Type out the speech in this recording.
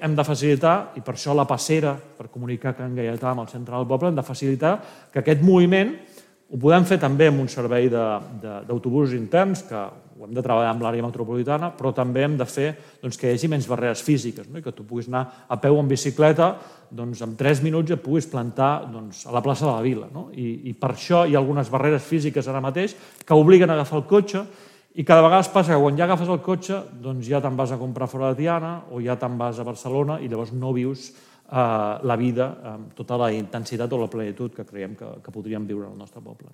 Hem de facilitar, i per això la passera, per comunicar Can Gaietà amb el centre del poble, hem de facilitar que aquest moviment ho podem fer també amb un servei d'autobusos interns, que ho hem de treballar amb l'àrea metropolitana, però també hem de fer que hi hagi menys barreres físiques, que tu puguis anar a peu o en bicicleta, en 3 minuts et puguis plantar a la plaça de la Vila. I per això hi ha algunes barreres físiques ara mateix que obliguen a agafar el cotxe, i cada vegada es passa que quan ja agafes el cotxe ja te'n vas a comprar fora de Tiana o ja te'n vas a Barcelona i llavors no vius la vida amb tota la intensitat o la plenitud que creiem que podríem viure al nostre poble.